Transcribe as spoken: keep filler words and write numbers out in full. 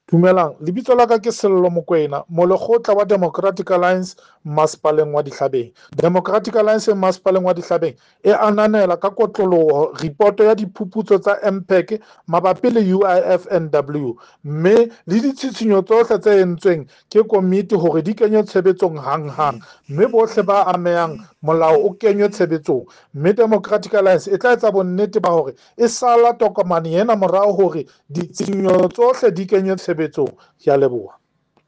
Dumelang, lebitso la ka ke Sello Mokoena, molekgotla wa Democratic Alliance Masepaleng wa Dihlabeng. Democratic Alliance Masepaleng wa Dihlabeng e ananela ka kotloloho ripoto ya diphuputso tsa M P A C mabapi le U I F N W, mme le ditshitshinyo tsohle tse entsweng ke komiti hore di kenywe tshebetsong hanghang, mme bohle ba amehang molao o kenywe tshebetsong. Mme Democratic Alliance e tla etsa bonnete ba hore e sala tokomane ena morao hore ditshisinyo tsohle di kenywe tshebetsong. Ke a leboha.